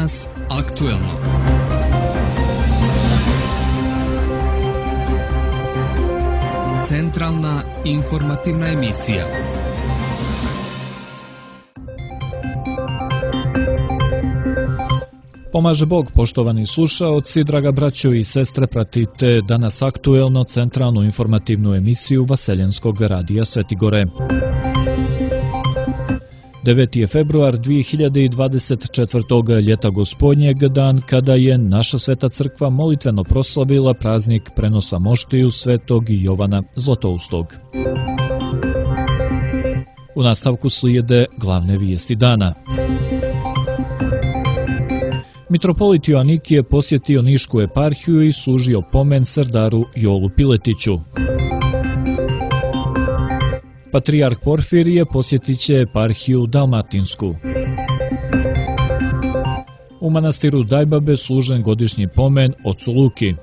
Danas aktuelno. Centralna informativna emisija. Pomaže Bog, poštovani slušaoci, draga braćo i sestre, pratite Danas aktuelno, centralnu informativnu emisiju Vaseljenskog radija Svetigore. 9. je februar 2024. ljeta gospodnjeg, dan kada je naša sveta crkva molitveno proslavila praznik prenosa moštiju svetog Jovana Zlatoustog. U nastavku slijede glavne vijesti dana. Mitropolit Joanikije posjetio Nišku eparhiju i služio pomen Serdaru Jolu Piletiću. Patrijarh Porfirije posjetit će eparhiju Dalmatinsku. U manastiru Dajbabe služen godišnji pomen ocu Luki.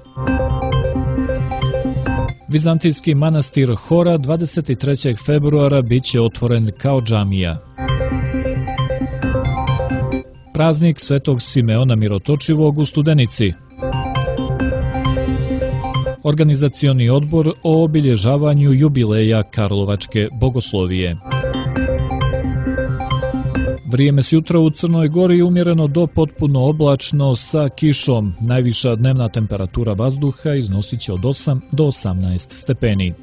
Vizantijski manastir Hora 23. februara bit će otvoren kao džamija. Praznik Svetog Simeona Mirotočivog u Studenici. Organizacioni odbor o obilježavanju jubileja Karlovačke bogoslovije. Vrijeme s jutra u Crnoj Gori umjereno do potpuno oblačno sa kišom. Najviša dnevna temperatura vazduha iznosit će od 8 do 18 stepeni.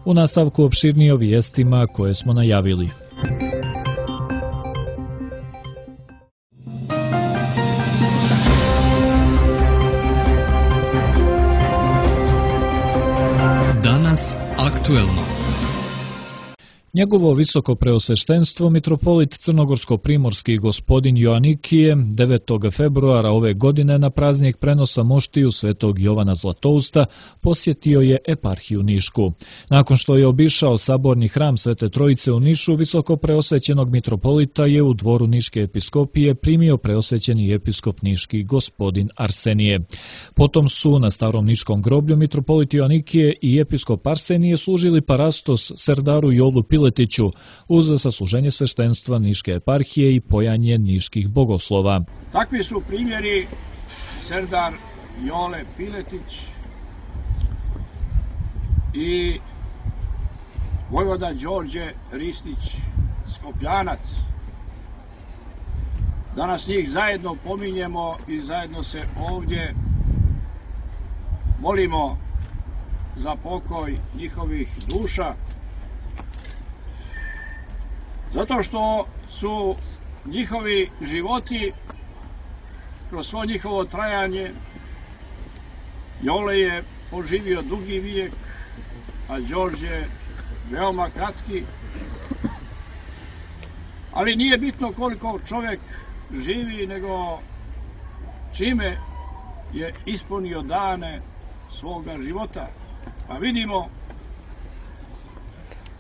U nastavku opširnije o vijestima koje smo najavili. Danas aktuelno. Njegovo visoko preosveštenstvo mitropolit crnogorsko-primorski gospodin Joanikije 9. februara ove godine na praznik prenosa moštiju svetog Jovana Zlatousta posjetio je eparhiju Nišku. Nakon što je obišao saborni hram Svete Trojice u Nišu, visoko preosvećenog mitropolita je u dvoru Niške episkopije primio preosvećeni episkop Niški gospodin Arsenije. Potom su na starom niškom groblju mitropolit Joanikije i episkop Arsenije služili parastos Serdaru Jolu Piletiću uz sasluženje sveštenstva Niške eparhije i pojanje niških bogoslova. Takvi su primjeri Serdar Jole Piletić i vojvoda Đorđe Ristić Skopljanac. Danas njih zajedno pominjemo i zajedno se ovdje molimo za pokoj njihovih duša, zato što su njihovi životi kroz svo njihovo trajanje, Jole je poživio dugi vijek, a Đorđe veoma kratki, ali nije bitno koliko čovjek živi, nego čime je ispunio dane svoga života. Pa vidimo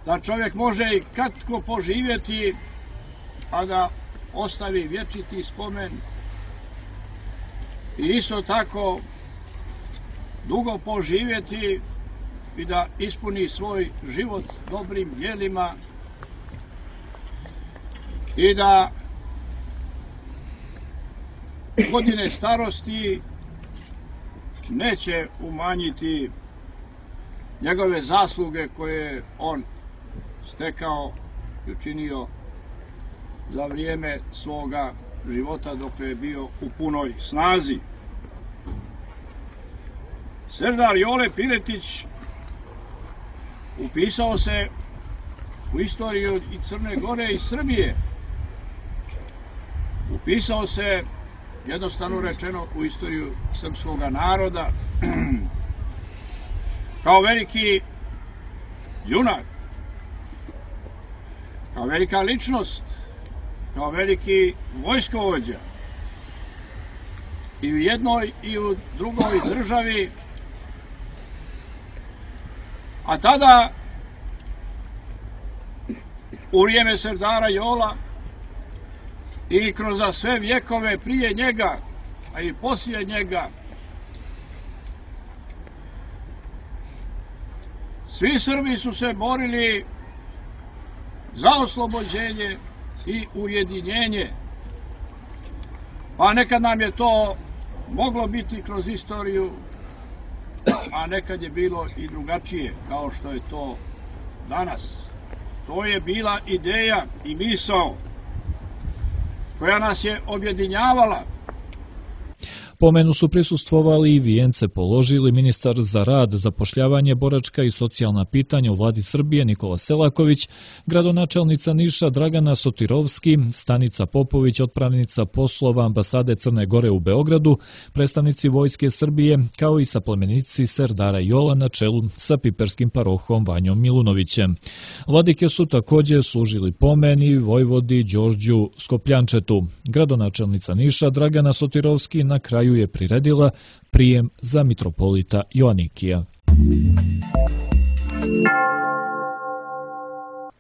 da čovjek može i kratko poživjeti, a da ostavi vječiti spomen, i isto tako dugo poživjeti i da ispuni svoj život dobrim djelima i da godine starosti neće umanjiti njegove zasluge koje on stekao i učinio za vrijeme svoga života dok je bio u punoj snazi. Serdar Jole Piletić upisao se u istoriju i Crne Gore i Srbije. Upisao se, jednostavno rečeno, u istoriju srpskog naroda kao veliki junak, kao velika ličnost, kao veliki vojskovođa i u jednoj i u drugoj državi. A tada, u vrijeme Serdara Jola i kroz sve vjekove prije njega, a i poslije njega, svi Srbi su se borili za oslobođenje i ujedinjenje. Pa nekad nam je to moglo biti kroz istoriju, a nekad je bilo i drugačije, kao što je to danas. To je bila ideja i misao koja nas je objedinjavala. Pomenu su prisustvovali i vijence položili ministar za rad, zapošljavanje, boračka i socijalna pitanja u vladi Srbije Nikola Selaković, gradonačelnica Niša Dragana Sotirovski, Stanica Popović, otpravnica poslova ambasade Crne Gore u Beogradu, predstavnici Vojske Srbije, kao i saplemenici Serdara Jola na čelu sa piperskim parohom Vanjom Milunovićem. Vladike su također služili pomen i vojvodi Đorđu Skopljančetu. Gradonačelnica Niša Dragana Sotirovski na kraju je priredila prijem za mitropolita Joanikija.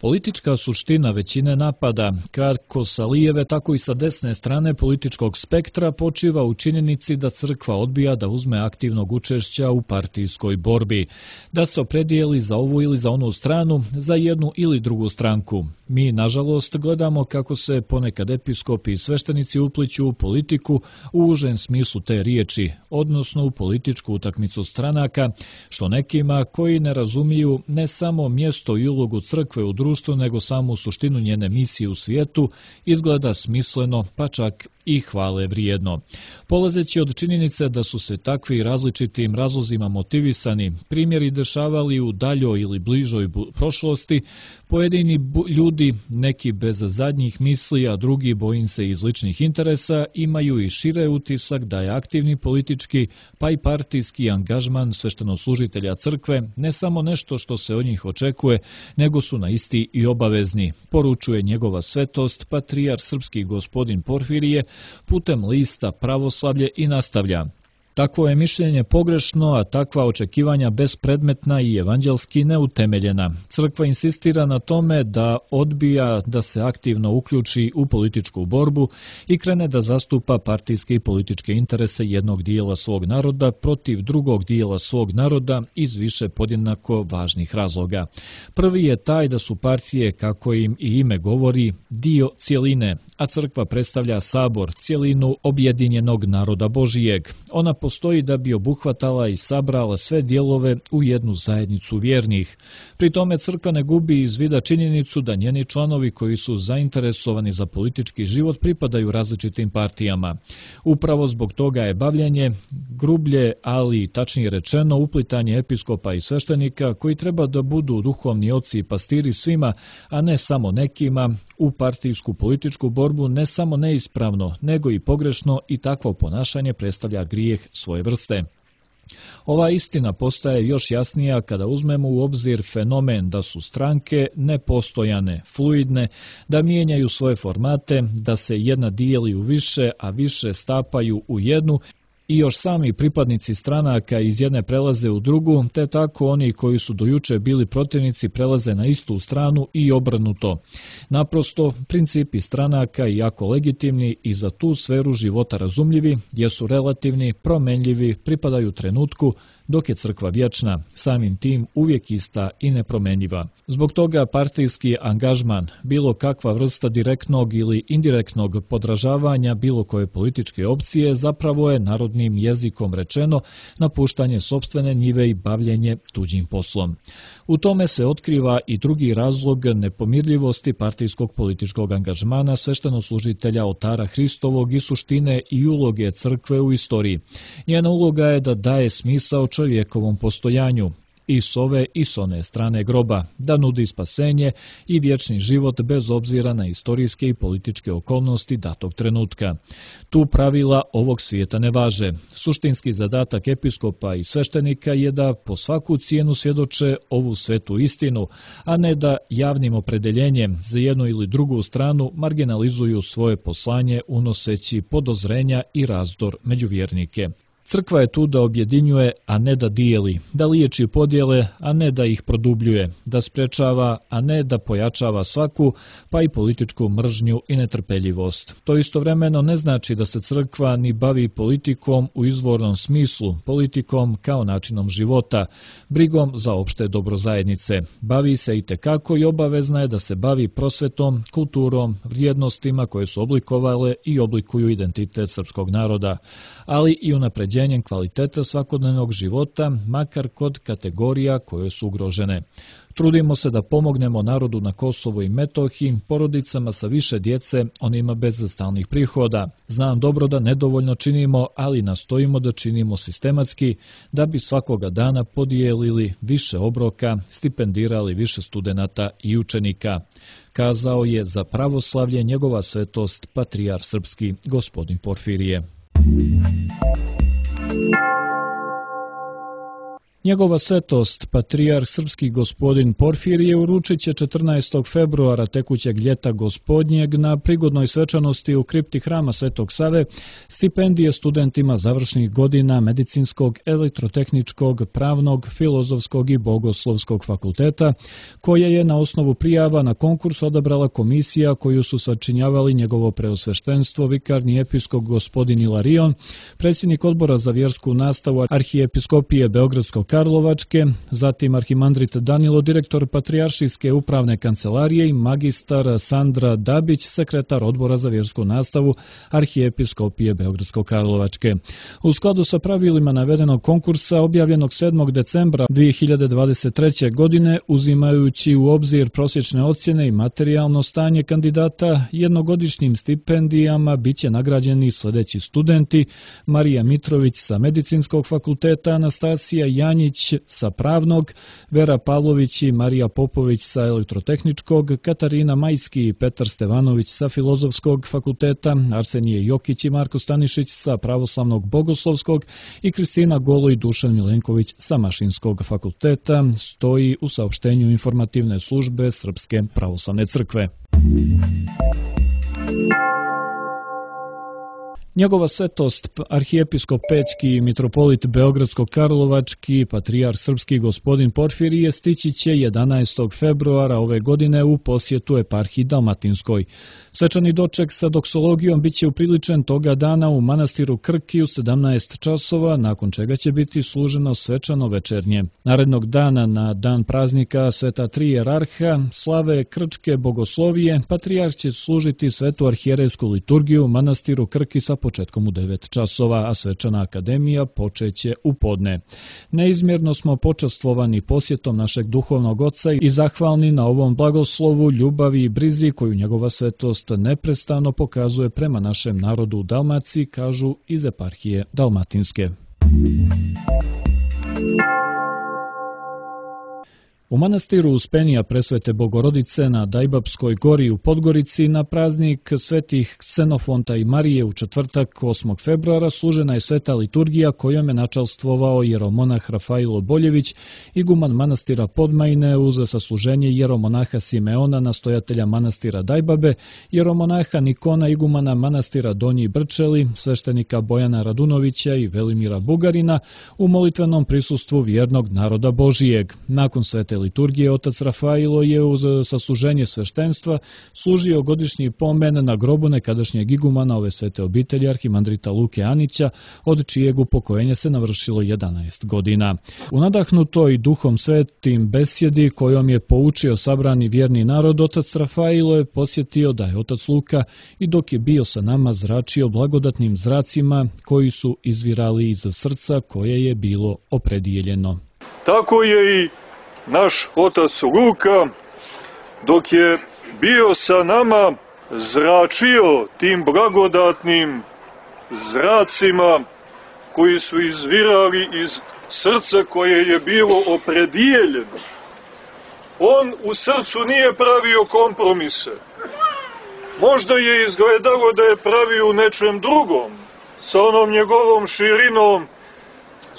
Politička suština većine napada, kako sa lijeve, tako i sa desne strane političkog spektra, počiva u činjenici da crkva odbija da uzme aktivnog učešća u partijskoj borbi, da se opredijeli za ovu ili za onu stranu, za jednu ili drugu stranku. Mi, nažalost, gledamo kako se ponekad episkopi i sveštenici upliću u politiku u užem smislu te riječi, odnosno u političku utakmicu stranaka, što nekima koji ne razumiju ne samo mjesto i ulogu crkve u društvu, nego samu suštinu njene misije u svijetu, izgleda smisleno, pa čak i hvale vrijedno. Polazeći od činjenice da su se takvi različitim razlozima motivisani primjeri dešavali u daljoj ili bližoj prošlosti, pojedini ljudi, neki bez zadnjih misli, a drugi bojim se iz ličnih interesa, imaju i šire utisak da je aktivni politički pa i partijski angažman sveštenoslužitelja crkve ne samo nešto što se od njih očekuje, nego su na isti i obavezni, poručuje njegova svetost patrijar srpski gospodin Porfirije putem lista Pravoslavlje i nastavlja. Takvo je mišljenje pogrešno, a takva očekivanja bespredmetna i evanđelski neutemeljena. Crkva insistira na tome da odbija da se aktivno uključi u političku borbu i krene da zastupa partijske i političke interese jednog dijela svog naroda protiv drugog dijela svog naroda iz više podjednako važnih razloga. Prvi je taj da su partije, kako im i ime govori, dio cjeline, a crkva predstavlja sabor, cjelinu objedinjenog naroda Božijeg. Ona postoji da bi obuhvatala i sabrala sve dijelove u jednu zajednicu vjernih. Pri tome crkva ne gubi iz vida činjenicu da njeni članovi koji su zainteresovani za politički život pripadaju različitim partijama. Upravo zbog toga je bavljenje grublje, ali tačnije rečeno uplitanje episkopa i sveštenika koji treba da budu duhovni oci i pastiri svima, a ne samo nekima, u partijsku političku borbu ne samo neispravno, nego i pogrešno i takvo ponašanje predstavlja grijeh svoje vrste. Ova istina postaje još jasnija kada uzmemo u obzir fenomen da su stranke nepostojane, fluidne, da mijenjaju svoje formate, da se jedna dijeli u više, a više stapaju u jednu, i još sami pripadnici stranaka iz jedne prelaze u drugu, te tako oni koji su dojuče bili protivnici prelaze na istu stranu i obrnuto. Naprosto, principi stranaka, iako legitimni i za tu sferu života razumljivi, jesu relativni, promenljivi, pripadaju trenutku, dok je crkva vječna, samim tim uvijek ista i nepromenljiva. Zbog toga partijski angažman, bilo kakva vrsta direktnog ili indirektnog podražavanja bilo koje političke opcije, zapravo je narodnim jezikom rečeno napuštanje sopstvene njive i bavljenje tuđim poslom. U tome se otkriva i drugi razlog nepomirljivosti partijskog političkog angažmana sveštenoslužitelja oltara Hristovog i suštine i uloge crkve u istoriji. Njena uloga je da daje smisao čovjekovom postojanju, i s ove i s one strane groba, da nudi spasenje i vječni život bez obzira na istorijske i političke okolnosti datog trenutka. Tu pravila ovog svijeta ne važe. Suštinski zadatak episkopa i sveštenika je da po svaku cijenu svjedoče ovu svetu istinu, a ne da javnim opredeljenjem za jednu ili drugu stranu marginalizuju svoje poslanje unoseći podozrenja i razdor među vjernike. Crkva je tu da objedinjuje, a ne da dijeli, da liječi podjele, a ne da ih produbljuje, da sprečava, a ne da pojačava svaku, pa i političku mržnju i netrpeljivost. To istovremeno ne znači da se crkva ni bavi politikom u izvornom smislu, politikom kao načinom života, brigom za opšte dobro zajednice. Bavi se itekako i obavezna je da se bavi prosvetom, kulturom, vrijednostima koje su oblikovale i oblikuju identitet srpskog naroda, ali i unapređenjem kvaliteta svakodnevnog života, makar kod kategorija koje su ugrožene. Trudimo se da pomognemo narodu na Kosovu i Metohiji, porodicama sa više djece, onima bez stalnih prihoda. Znam dobro da nedovoljno činimo, ali nastojimo da činimo sistematski, da bi svakoga dana podijelili više obroka, stipendirali više studenata i učenika. Kazao je za pravoslavlje njegova svetost patrijarh srpski gospodin Porfirije. Njegova svetost, patrijarh srpski gospodin Porfirije, uručit će 14. februara tekućeg ljeta gospodnjeg na prigodnoj svečanosti u kripti hrama Svetog Save stipendije studentima završnih godina medicinskog, elektrotehničkog, pravnog, filozofskog i bogoslovskog fakulteta, koje je na osnovu prijava na konkurs odabrala komisija koju su sačinjavali njegovo preosveštenstvo, vikarni episkop gospodin Ilarion, predsjednik odbora za vjersku nastavu arhijepiskopije Beogradsko-Karlovačke, zatim arhimandrit Danilo, direktor Patrijaršijske upravne kancelarije i magistar Sandra Dabić, sekretar odbora za vjersku nastavu arhijepiskopije Beogradsko-Karlovačke. U skladu sa pravilima navedenog konkursa objavljenog 7. decembra 2023. godine, uzimajući u obzir prosječne ocjene i materijalno stanje kandidata, jednogodišnjim stipendijama biće nagrađeni sljedeći studenti: Marija Mitrović sa Medicinskog fakulteta, Anastasija Janjić sa Pravnog, Vera Pavlović i Marija Popović sa Elektrotehničkog, Katarina Majski i Petar Stevanović sa Filozofskog fakulteta, Arsenije Jokić i Marko Stanišić sa Pravoslavnog bogoslovskog i Kristina Golo i Dušan Milenković sa Mašinskog fakulteta, stoji u saopštenju informativne službe Srpske pravoslavne crkve. Njegova svetost, arhijepiskop Pećki i mitropolit Beogradsko-Karlovački, patrijarh srpski gospodin Porfirije, stići će 11. februara ove godine u posjetu eparhiji Dalmatinskoj. Svečani doček sa doksologijom biće upriličen toga dana u manastiru Krki u 17 časova, nakon čega će biti služeno svečano večernje. Narednog dana, na dan praznika Sveta Tri jerarha, slave krčke bogoslovije, patrijarh će služiti svetu arhijerejsku liturgiju u manastiru Krki sa početkom u 9 časova, a svečana akademija počeće u podne. Neizmjerno smo počastvovani posjetom našeg duhovnog oca i zahvalni na ovom blagoslovu, ljubavi i brizi koju njegova svetost neprestano pokazuje prema našem narodu u Dalmaciji, kažu iz eparhije Dalmatinske. U manastiru Uspenija Presvete Bogorodice na Dajbapskoj gori u Podgorici na praznik svetih Ksenofonta i Marije u četvrtak 8. februara služena je sveta liturgija kojom je načalstvovao jeromonah Rafailo Boljević, iguman manastira Podmajne, uz sasluženje jeromonaha Simeona, nastojatelja manastira Dajbabe, jeromonaha Nikona, igumana manastira Donji Brčeli, sveštenika Bojana Radunovića i Velimira Bugarina, u molitvenom prisustvu vjernog naroda Božijeg. Nakon svete liturgije otac Rafailo je uz sasluženje sveštenstva služio godišnji pomen na grobu nekadašnjeg igumana ove svete obitelji arhimandrita Luke Anića, od čijeg upokojenja se navršilo 11 godina. U nadahnutoj duhom svetim besjedi kojom je poučio sabrani vjerni narod, otac Rafailo je podsjetio da je otac Luka i dok je bio sa nama zračio blagodatnim zracima koji su izvirali iz srca koje je bilo opredijeljeno. Tako je i naš otac Luka, dok je bio sa nama, zračio tim blagodatnim zracima koji su izvirali iz srca koje je bilo opredijeljeno. On u srcu nije pravio kompromise. Možda je izgledalo da je pravio u nečem drugom, sa onom njegovom širinom,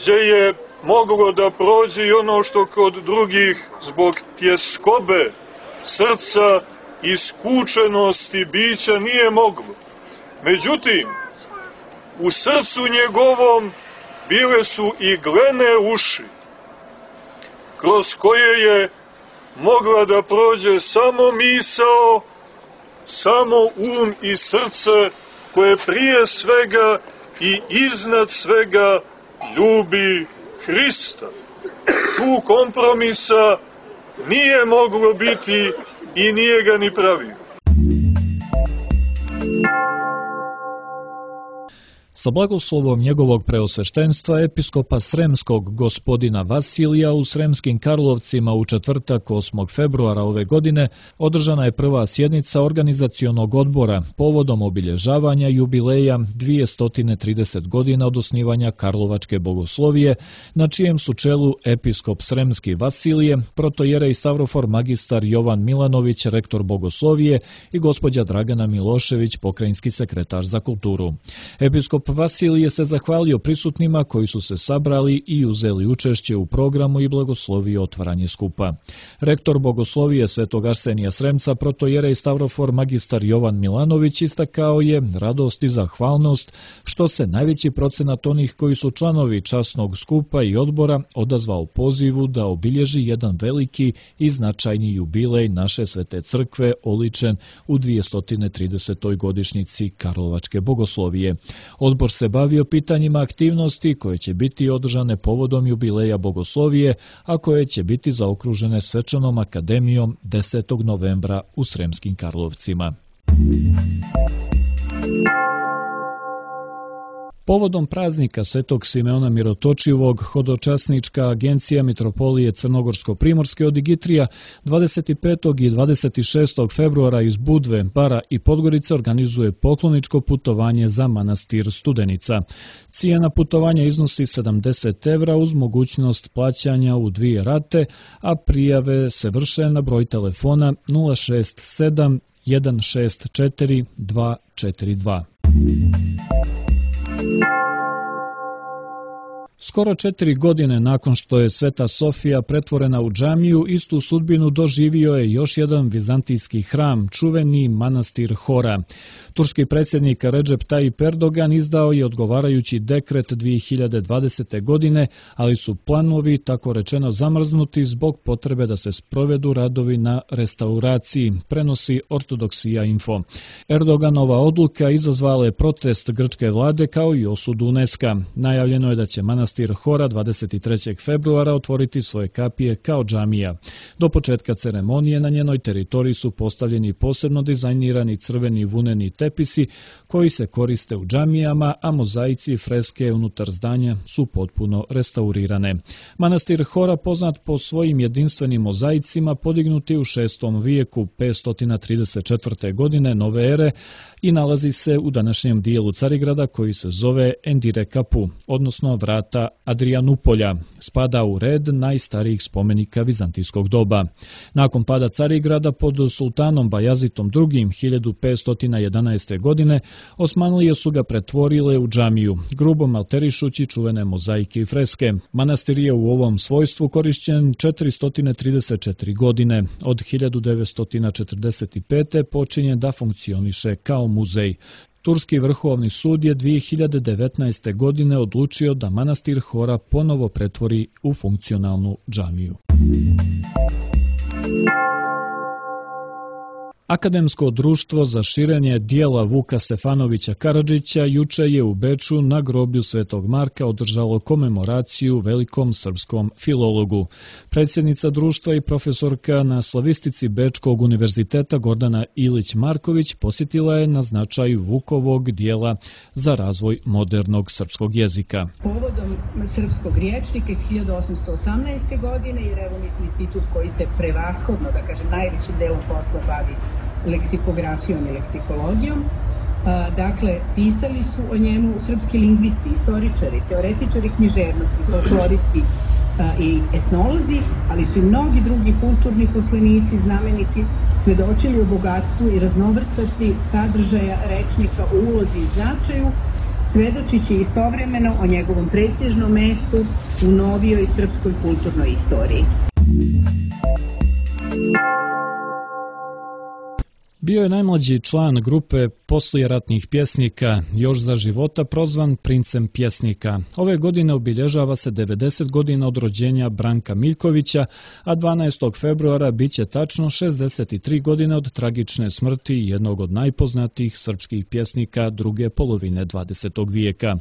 gdje je moglo da prođe i ono što kod drugih zbog tjeskobe srca i skučenosti bića nije moglo. Međutim, u srcu njegovom bile su iglene uši, kroz koje je mogla da prođe samo misao, samo um i srce koje prije svega i iznad svega ljubi Hrista. Tu kompromisa nije moglo biti i nije ga ni pravio. Sa blagoslovom njegovog preosveštenstva episkopa Sremskog gospodina Vasilija u Sremskim Karlovcima u četvrtak 8. februara ove godine održana je prva sjednica organizacionog odbora povodom obilježavanja jubileja 230 godina od osnivanja Karlovačke bogoslovije, na čijem su čelu episkop Sremski Vasilije, protojerej Stavrofor magistar Jovan Milanović, rektor bogoslovije i gospođa Dragana Milošević, pokrajinski sekretar za kulturu. Episkop Vasilije se zahvalio prisutnima koji su se sabrali i uzeli učešće u programu i blagoslovio otvaranje skupa. Rektor bogoslovije Svetog Arsenija Sremca, protojerej Stavrofor magistar Jovan Milanović, istakao je radost i zahvalnost što se najveći procenat onih koji su članovi časnog skupa i odbora odazvao pozivu da obilježi jedan veliki i značajni jubilej naše Svete crkve oličen u 230. godišnjici Karlovačke bogoslovije. Odbor se bavio pitanjima aktivnosti koje će biti održane povodom jubileja bogoslovije, a koje će biti zaokružene svečanom akademijom 10. novembra u Sremskim Karlovcima. Povodom praznika Svetog Simeona Mirotočivog, hodočasnička agencija Mitropolije Crnogorsko-Primorske od Digitrija 25. i 26. februara iz Budve, Bara i Podgorice organizuje pokloničko putovanje za manastir Studenica. Cijena putovanja iznosi 70 evra uz mogućnost plaćanja u 2 rate, a prijave se vrše na broj telefona 067 164 242. Skoro 4 godine nakon što je Sveta Sofija pretvorena u džamiju, istu sudbinu doživio je još jedan vizantijski hram, čuveni manastir Hora. Turski predsjednik Recep Tayyip Erdogan izdao je odgovarajući dekret 2020. godine, ali su planovi tako rečeno zamrznuti zbog potrebe da se sprovedu radovi na restauraciji, prenosi Ortodoksija Info. Erdoganova odluka izazvala je protest grčke vlade kao i osudu UNESCO. Najavljeno je da će manastir Hora 23. februara otvoriti svoje kapije kao džamija. Do početka ceremonije na njenoj teritoriji su postavljeni posebno dizajnirani crveni vuneni tepisi koji se koriste u džamijama, a mozaici i freske unutar zdanja su potpuno restaurirane. Manastir Hora, poznat po svojim jedinstvenim mozaicima, podignuti u 6. vijeku 534. godine nove ere i nalazi se u današnjem dijelu Carigrada koji se zove Endire Kapu, odnosno vrata Adrianupolja. Spada u red najstarijih spomenika vizantijskog doba. Nakon pada Carigrada pod sultanom Bajazitom II. 1511. godine Osmanlije su ga pretvorile u džamiju, grubo malterišući čuvene mozaike i freske. Manastir je u ovom svojstvu korišćen 434 godine. Od 1945. počinje da funkcioniše kao muzej. Turski vrhovni sud je 2019. godine odlučio da manastir Hora ponovo pretvori u funkcionalnu džamiju. Akademsko društvo za širenje dijela Vuka Stefanovića Karadžića juče je u Beču na groblju Svetog Marka održalo komemoraciju velikom srpskom filologu. Predsjednica društva i profesorka na slavistici Bečkog univerziteta Gordana Ilić-Marković posjetila je na značaju Vukovog dijela za razvoj modernog srpskog jezika. Povodom srpskog riječnika iz 1818. godine, jer evo mi smo institut koji se prevashodno, da kažem, najvećim delom posla bavi leksikografijom i leksikologijom. Dakle, pisali su o njemu srpski lingvisti, istoričari, teoretičari književnosti, folkloristi i etnolozi, ali su i mnogi drugi kulturni poslenici znameniti svedočili o bogatstvu i raznovrstosti sadržaja rečnika u ulozi i značaju, svedočići istovremeno o njegovom prestižnom mestu u novijoj srpskoj kulturnoj istoriji. Bio je najmlađi član grupe poslijeratnih pjesnika, još za života prozvan princem pjesnika. Ove godine obilježava se 90 godina od rođenja Branka Miljkovića, a 12. februara biće tačno 63 godine od tragične smrti jednog od najpoznatijih srpskih pjesnika druge polovine 20. vijeka.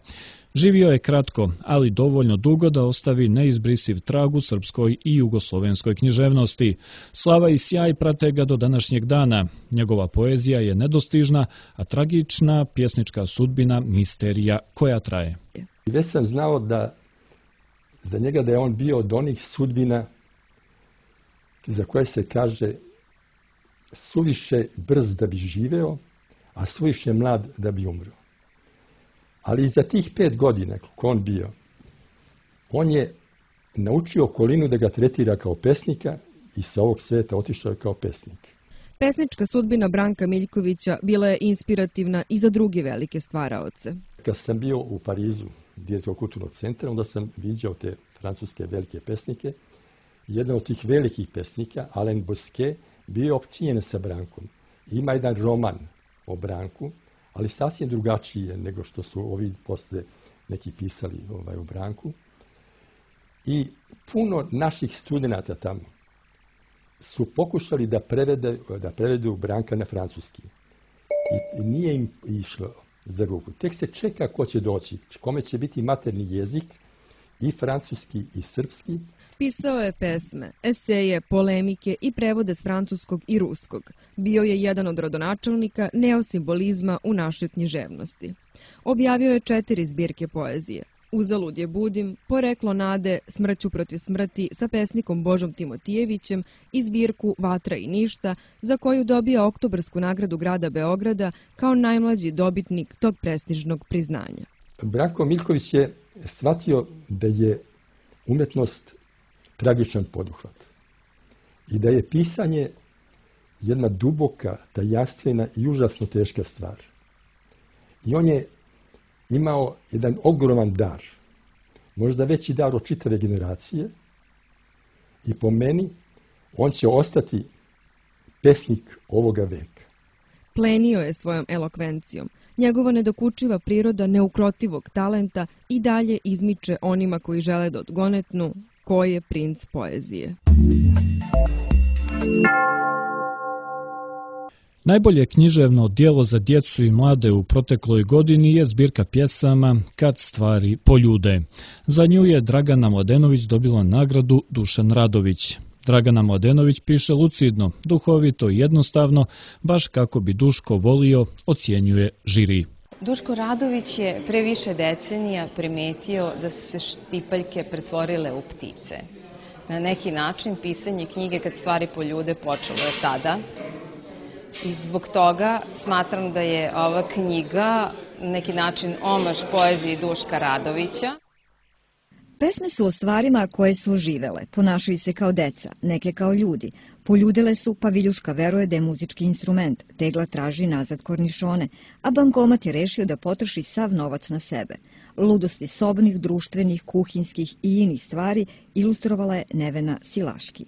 Živio je kratko, ali dovoljno dugo da ostavi neizbrisiv trag u srpskoj i jugoslovenskoj književnosti. Slava i sjaj prate ga do današnjeg dana. Njegova poezija je nedostižna, a tragična pjesnička sudbina misterija koja traje. Već sam znao da za njega da je on bio od onih sudbina za koje se kaže suviše brz da bi živeo, a suviše mlad da bi umro. Ali i za tih 5 godina kako on bio, on je naučio okolinu da ga tretira kao pesnika i sa ovog sveta otišao je kao pesnik. Pesnička sudbina Branka Miljkovića bila je inspirativna i za druge velike stvaraoce. Kad sam bio u Parizu, direktor kulturnog centra, onda sam viđao te francuske velike pesnike. Jedan od tih velikih pesnika, Alain Bosquet, bio je opčinjen sa Brankom. Ima jedan roman o Branku, ali sasvim drugačije nego što su ovi posle neki pisali o Branku. I puno naših studenata tamo su pokušali da prevedu Branka na francuski. I nije im išlo za ruku. Tek se čeka ko će doći, kome će biti materni jezik, i francuski i srpski. Pisao je pesme, eseje, polemike i prevode s francuskog i ruskog. Bio je jedan od rodonačelnika neosimbolizma u našoj književnosti. Objavio je 4 zbirke poezije. Uzalud je budim, Poreklo nade, Smrću protiv smrti sa pesnikom Božom Timotijevićem i zbirku Vatra i ništa, za koju dobija Oktobarsku nagradu grada Beograda kao najmlađi dobitnik tog prestižnog priznanja. Branko Miljković je shvatio da je umetnost tragičan poduhvat i da je pisanje jedna duboka, tajanstvena i užasno teška stvar. I on je imao jedan ogroman dar, možda veći dar od čitave generacije, i po meni on će ostati pesnik ovoga veka. Plenio je svojom elokvencijom. Njegova nedokučiva priroda neukrotivog talenta i dalje izmiče onima koji žele da odgonetnu ko je princ poezije. Najbolje književno djelo za djecu i mlade u protekloj godini je zbirka pjesama Kad stvari poljude. Za nju je Dragana Mladenović dobila nagradu Dušan Radović. Dragana Mladenović piše lucidno, duhovito i jednostavno, baš kako bi Duško volio, ocjenjuje žiri. Duško Radović je pre više decenija primetio da su se štipaljke pretvorile u ptice. Na neki način pisanje knjige Kad stvari poljude počelo je tada. I zbog toga smatram da je ova knjiga na neki način omaž poeziji Duška Radovića. Pesme su o stvarima koje su oživele, ponašaju se kao deca, neke kao ljudi. Poljudele su, pa Viljuška veruje da je muzički instrument, Tegla traži nazad kornišone, a bankomat je rešio da potroši sav novac na sebe. Ludosti sobnih, društvenih, kuhinskih i inih stvari ilustrovala je Nevena Silaški.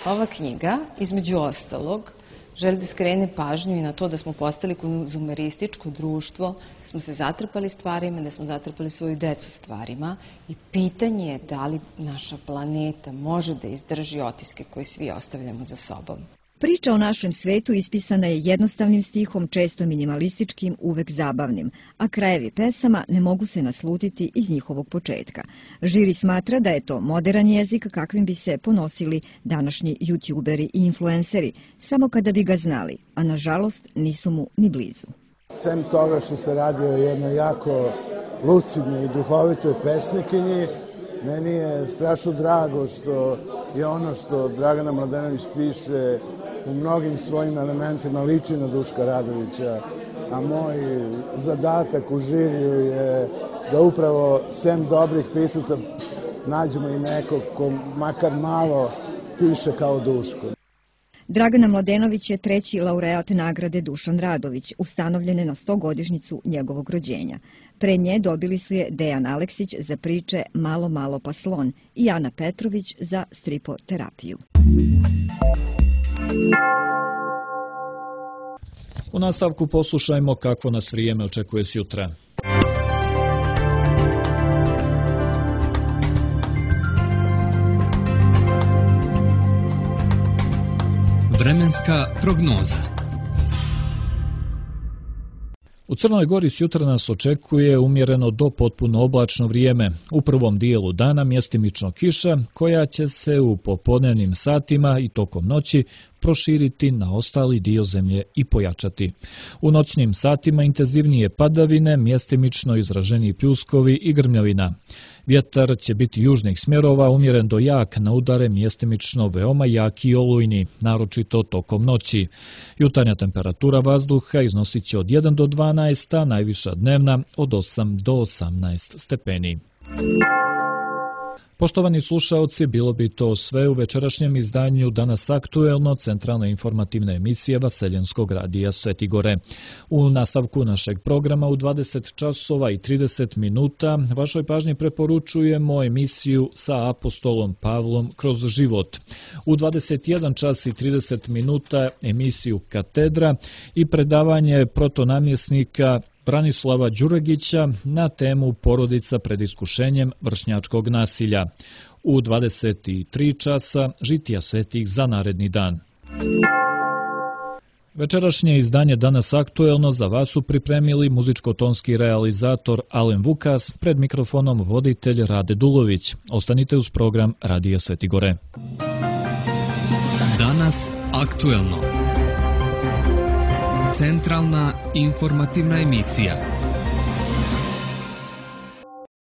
Ova knjiga, između ostalog, želi da skrene pažnju i na to da smo postali konzumerističko društvo, da smo se zatrpali stvarima, da smo zatrpali svoju decu stvarima i pitanje je da li naša planeta može da izdrži otiske koje svi ostavljamo za sobom. Priča o našem svetu ispisana je jednostavnim stihom, često minimalističkim, uvek zabavnim, a krajevi pesama ne mogu se naslutiti iz njihovog početka. Žiri smatra da je to moderan jezik kakvim bi se ponosili današnji youtuberi i influenceri, samo kada bi ga znali, a nažalost nisu mu ni blizu. Sem toga što se radi o jednoj jako lucidnoj i duhovitoj pesnikinji, meni je strašno drago što je ono što Dragana Mladenović piše u mnogim svojim elementima liči na Duška Radovića, a moj zadatak u žiriju je da upravo sem dobrih pisaca nađemo i nekog ko makar malo piše kao Duško. Dragana Mladenović je 3. laureat nagrade Dušan Radović, ustanovljene na 100-godišnjicu njegovog rođenja. Pre nje dobili su je Dejan Aleksić za priče Malo, malo pa slon i Ana Petrović za stripoterapiju. U nastavku poslušajmo kako nas vrijeme očekuje sjutra. Vremenska prognoza. U Crnoj Gori sjutra nas očekuje umjereno do potpuno oblačno vrijeme. U prvom dijelu dana mjestimično kiša koja će se u popodnevnim satima i tokom noći proširiti na ostali dio zemlje i pojačati. U noćnim satima intenzivnije padavine, mjestimično izraženi pljuskovi i grmljavina. Vjetar će biti južnih smjerova, umjeren do jak na udare, mjestimično veoma jak i olujni, naročito tokom noći. Jutarnja temperatura vazduha iznosit će od 1 do 12, a najviša dnevna od 8 do 18 stepeni. Poštovani slušaoci, bilo bi to sve u večerašnjem izdanju Danas aktuelno, centralna informativna emisija Vaseljenskog radija Svetigore. U nastavku našeg programa u 20 časova i 30 minuta vašoj pažnji preporučujemo emisiju sa apostolom Pavlom kroz život. U 21 čas i 30 minuta emisiju Katedra i predavanje protonamjesnika Branislava Đuregića na temu porodica pred iskušenjem vršnjačkog nasilja. U 23 časa žitija svetih za naredni dan. Večerašnje izdanje Danas aktuelno za vas su pripremili muzičko-tonski realizator Alen Vukas, pred mikrofonom voditelj Rade Dulović. Ostanite uz program Radija Svetigore. Danas aktuelno. Centralna informativna emisija.